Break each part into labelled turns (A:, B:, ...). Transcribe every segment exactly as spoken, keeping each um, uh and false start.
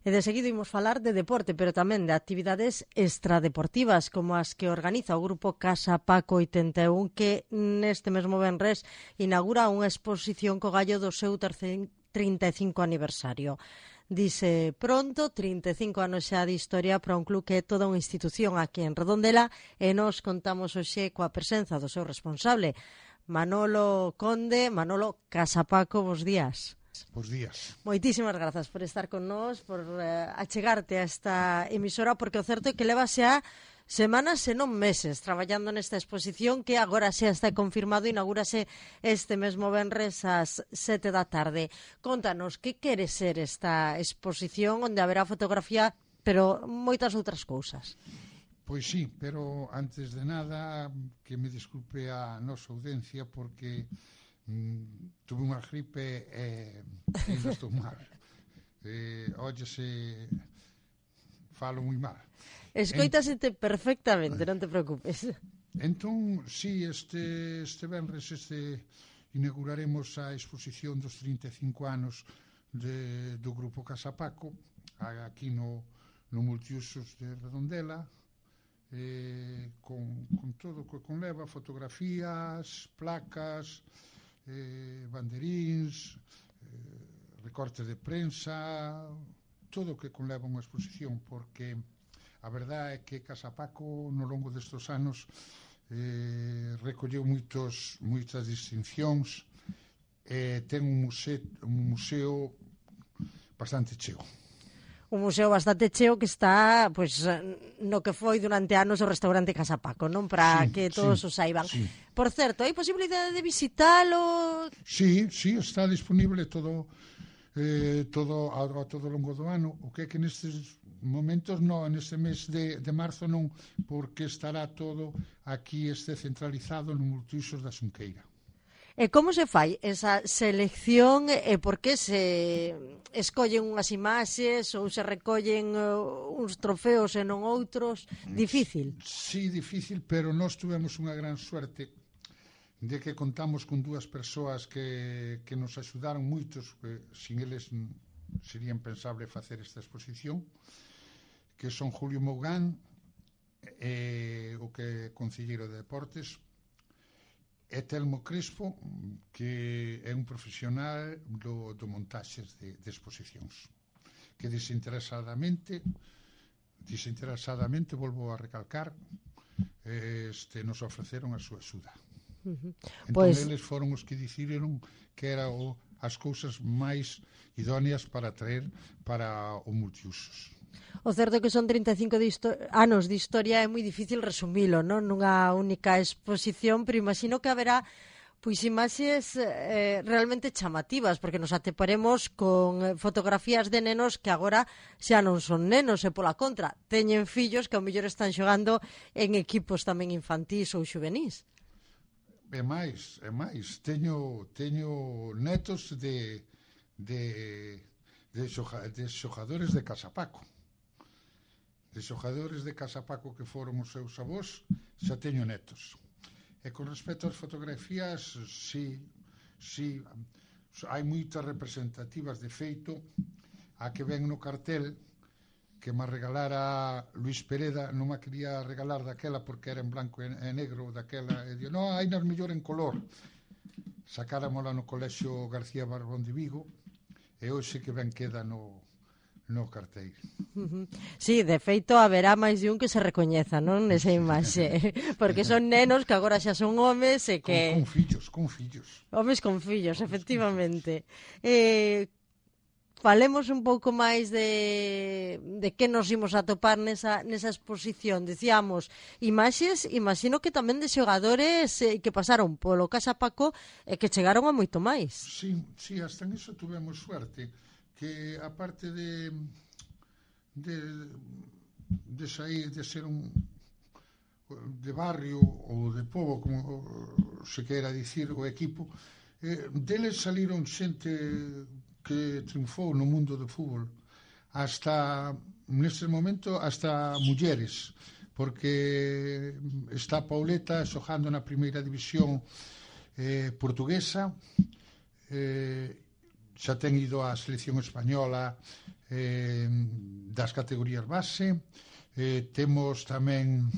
A: E de seguido imos falar de deporte, pero tamén de actividades extradeportivas como as que organiza o grupo Casa Paco oitenta e un, que neste mesmo venres inaugura unha exposición co gallo do seu terceiro trinta e cinco aniversario. Dice pronto, trinta e cinco anos xa de historia para un club que é toda unha institución aquí en Redondela, e nos contamos hoxe coa presenza do seu responsable, Manolo Conde. Manolo, Casa Paco, bos días.
B: Bos días.
A: Moitísimas grazas por estar con nós, por uh, achegarte a esta emisora, porque o certo é que leva xa semanas e non meses traballando nesta exposición que agora xa está confirmado, inaugúrase este mesmo venres ás sete da tarde. Contanos, que quere ser esta exposición onde haberá fotografía, pero moitas outras cousas?
B: Pois sí, pero antes de nada que me disculpe a nosa audiencia porque mm, tuve unha gripe e eh, ainda estou mal. Eh, óyese, falo moi mal.
A: Escoitasete perfectamente, non te preocupes.
B: Entón, sí, este, este venres este, inauguraremos a exposición dos trinta e cinco anos de, do Grupo Casa Paco, aquí no, no Multiusos de Redondela, eh, con, con todo o que conleva, fotografías, placas, eh, banderíns, eh, recortes de prensa, todo o que conleva unha exposición, porque a verdade é que Casa Paco no longo destes anos eh, recolleu moitos, moitas distincións e eh, ten un museo, un museo bastante cheo.
A: Un museo bastante cheo que está pois, no que foi durante anos o restaurante Casa Paco, non? Para sí, que todos sí, o saiban. Sí. Por certo, hai posibilidade de visitalo?
B: Sí, sí, está disponible todo eh, todo a, a todo longo do ano. O que é que nestes momentos non, neste mes de, de marzo non, porque estará todo aquí este centralizado no Multiusos da Xunqueira.
A: E como se fai esa selección e por que se escollen unhas imaxes ou se recollen uh, uns trofeos e non outros? Difícil?
B: Sí, difícil, pero nós tuvemos unha gran suerte de que contamos con dúas persoas que, que nos axudaron moitos, que sin eles sería impensable facer esta exposición, que son Julio Mougán, eh, o que é concelleiro de Deportes, e Telmo Crespo, que é un profesional do, do montaxes de, de exposicións, que desinteresadamente desinteresadamente, volvo a recalcar, este, nos ofreceron a súa axuda. Uh-huh. Entón, pues eles foron os que diciron que era o, as cousas máis idóneas para traer para o Multiusos.
A: O certo é que son trinta e cinco de anos de historia, é moi difícil resumilo, non? Nunha única exposición, pero imagino que haberá pois imaxes eh, realmente chamativas, porque nos atoparemos con fotografías de nenos que agora xa non son nenos, e pola contra teñen fillos que ao mellor están xogando en equipos tamén infantís ou xuvenís.
B: É máis, é máis. Teño, teño netos de, de, de, xoga, de xogadores de Casa Paco. De xogadores de Casa Paco que foron os seus avós, xa teño netos. E con respecto ás fotografías, sí, sí, hai moitas representativas. De feito, a que ven no cartel, que me regalara Luís Pereda, non me quería regalar daquela porque era en blanco e negro daquela, e dio, non, hai nas mellor en color. Sacáramola no colexio García Barbón de Vigo, e hoxe que ben queda no, no cartel.
A: Uh-huh. Sí, de feito haberá máis de un que se recoñeza, non, nesa imaxe, porque son nenos que agora xa son homes e que...
B: Con, con fillos, con fillos.
A: Homes con fillos, efectivamente. Eh... Falemos un pouco máis de, de que nos imos a topar nesa, nesa exposición. Decíamos, imaxes, imagino que tamén de xogadores eh, que pasaron polo Casa Paco e eh, que chegaron a moito máis.
B: Sí, sí, hasta en iso tuvemos suerte, que aparte de de, de sair, de ser un de barrio ou de pobo, como se queira dicir o equipo, eh, deles saliron xente que triunfou no mundo do fútbol, hasta neste momento hasta mulleres, porque está Pauleta xogando na primeira división eh, portuguesa, eh, xa ten ido á selección española eh, das categorías base. Eh, temos tamén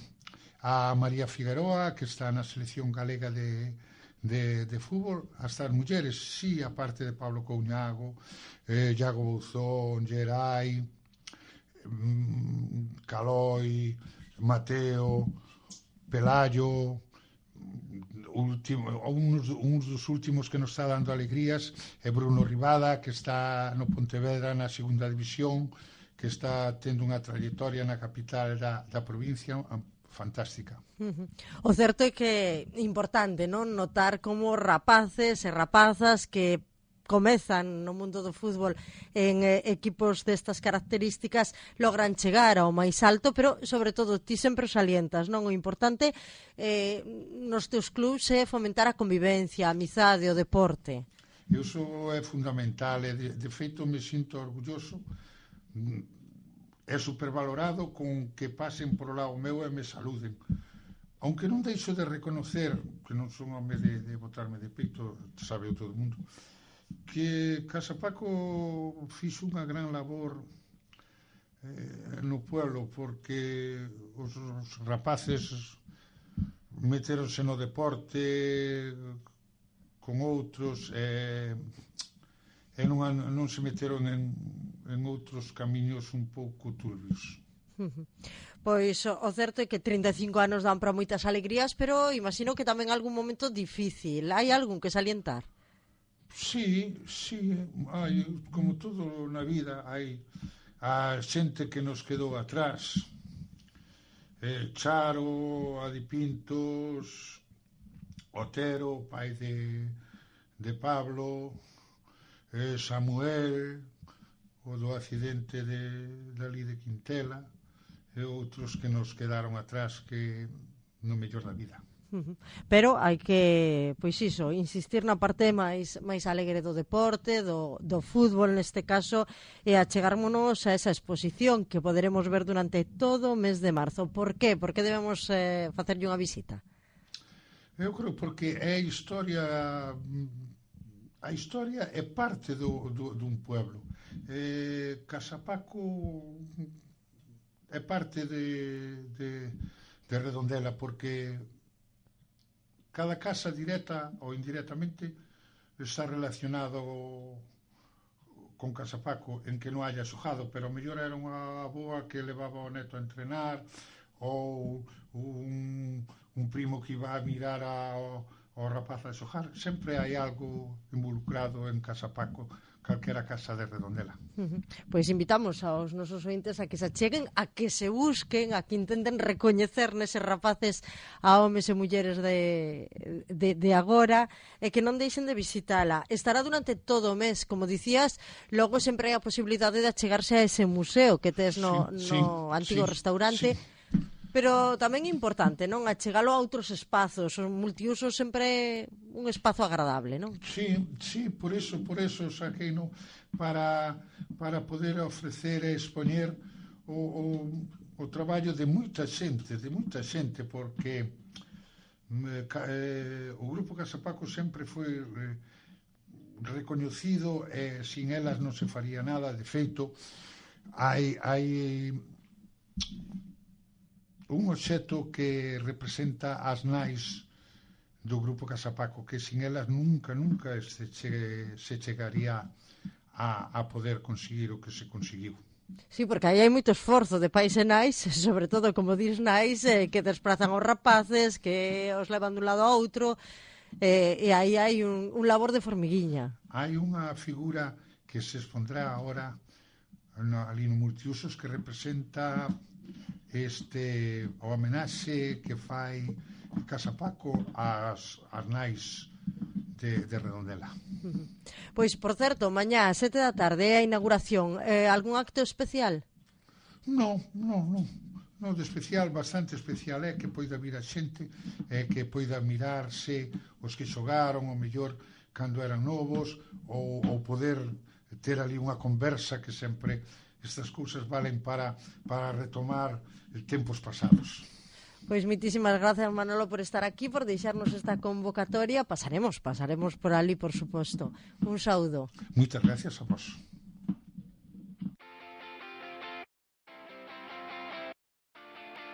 B: a María Figueroa, que está na selección galega de, de, de fútbol. Hasta as mulleres, sí, a parte de Pablo Couñago, eh, Iago Bouzón, Gerai, mm, Caloi, Mateo, Pelayo. Último, uns, uns dos últimos que nos está dando alegrías é Bruno Rivada, que está no Pontevedra na segunda división, que está tendo unha trayectoria na capital da, da provincia fantástica.
A: Uh-huh. O certo é que é importante, non, notar como rapaces e rapazas que comezan no mundo do fútbol en eh, equipos destas características logran chegar ao máis alto, pero sobre todo ti sempre o salientas, non? O importante eh, nos teus clubs é fomentar a convivencia, a amizade, o deporte.
B: Iso é fundamental, e de, de feito me sinto orgulloso, é supervalorado con que pasen por o lado meu e me saluden. Aunque non deixo de reconocer, que non son home de, de botarme de peito, sabe o todo o mundo, que Casa Paco fixo unha gran labor eh, no pueblo, porque os, os rapaces meteronse no deporte con outros e, e non, non se meteron en, en outros camiños un pouco turbios.
A: Pois o certo é que trinta e cinco anos dan para moitas alegrías, pero imagino que tamén algún momento difícil. Hai algún que salientar?
B: Sí, sí, hai, como todo na vida, hai a xente que nos quedou atrás. Eh, Charo, Adi Pintos, Otero, pai de, de Pablo, eh, Samuel, o do accidente de, dali de Quintela, e outros que nos quedaron atrás que no mellor da vida.
A: Pero hai que, pois iso, insistir na parte máis máis alegre do deporte, do, do fútbol neste caso, e achegármonos a esa exposición que poderemos ver durante todo o mes de marzo. Por qué? Por que debemos eh, facerlle unha visita?
B: Eu creo porque é a historia, a historia é parte do, do, dun pueblo. Eh, Casa Paco é parte de, de, de Redondela, porque cada casa directa ou indirectamente está relacionado con Casa Paco, en que non haya xogado, pero mellor era unha boa que levaba o neto a entrenar, ou un, un primo que iba a mirar ao, ao rapaz a xogar. Sempre hai algo involucrado en Casa Paco, calquera casa de Redondela.
A: Uh-huh. Pois invitamos aos nosos ointes a que se acheguen, a que se busquen, a que intenten recoñecer neses rapaces a homes e mulleres de, de, de agora, e que non deixen de visitala. Estará durante todo o mes, como dicías, logo sempre hai a posibilidade de achegarse a ese museo que tes no,
B: sí,
A: no
B: sí,
A: antigo
B: sí,
A: restaurante,
B: sí.
A: Pero tamén é importante, non? Achegalo a outros espazos. O multiuso sempre é un espazo agradable, non?
B: Sí, sí, por eso, por eso saquei, no, para, para poder ofrecer e expoñer o, o, o traballo de moita xente, de moita xente, porque eh, o Grupo Casa Paco sempre foi eh, recoñecido e sin elas non se faría nada. De feito, hai... hai un obxecto que representa as nais do Grupo Casa Paco, que sin elas nunca, nunca se, che, se chegaría a, a poder conseguir o que se conseguiu.
A: Sí, porque aí hai moito esforzo de pais e nais, sobre todo, como dis, nais, eh, que desprazan os rapaces, que os levan dun lado a outro, eh, e aí hai un, un labor de formiguiña.
B: Hai unha figura que se expondrá agora no, ali no multiusos, que representa este o homenaxe que fai Casa Paco ás, ás nais de, de Redondela.
A: Uh-huh. Pois, por certo, mañá a sete da tarde é a inauguración. Eh, algún acto especial?
B: Non, non, non. Non, de especial, bastante especial é que poida vir a xente, é que poida mirarse os que xogaron, o mellor, cando eran novos, ou, ou poder ter ali unha conversa, que sempre estas cousas valen para, para retomar tempos pasados.
A: Pois mitísimas gracias, Manolo, por estar aquí, por deixarnos esta convocatoria. Pasaremos, pasaremos por ali, por suposto. Un saúdo.
B: Moitas gracias a vos.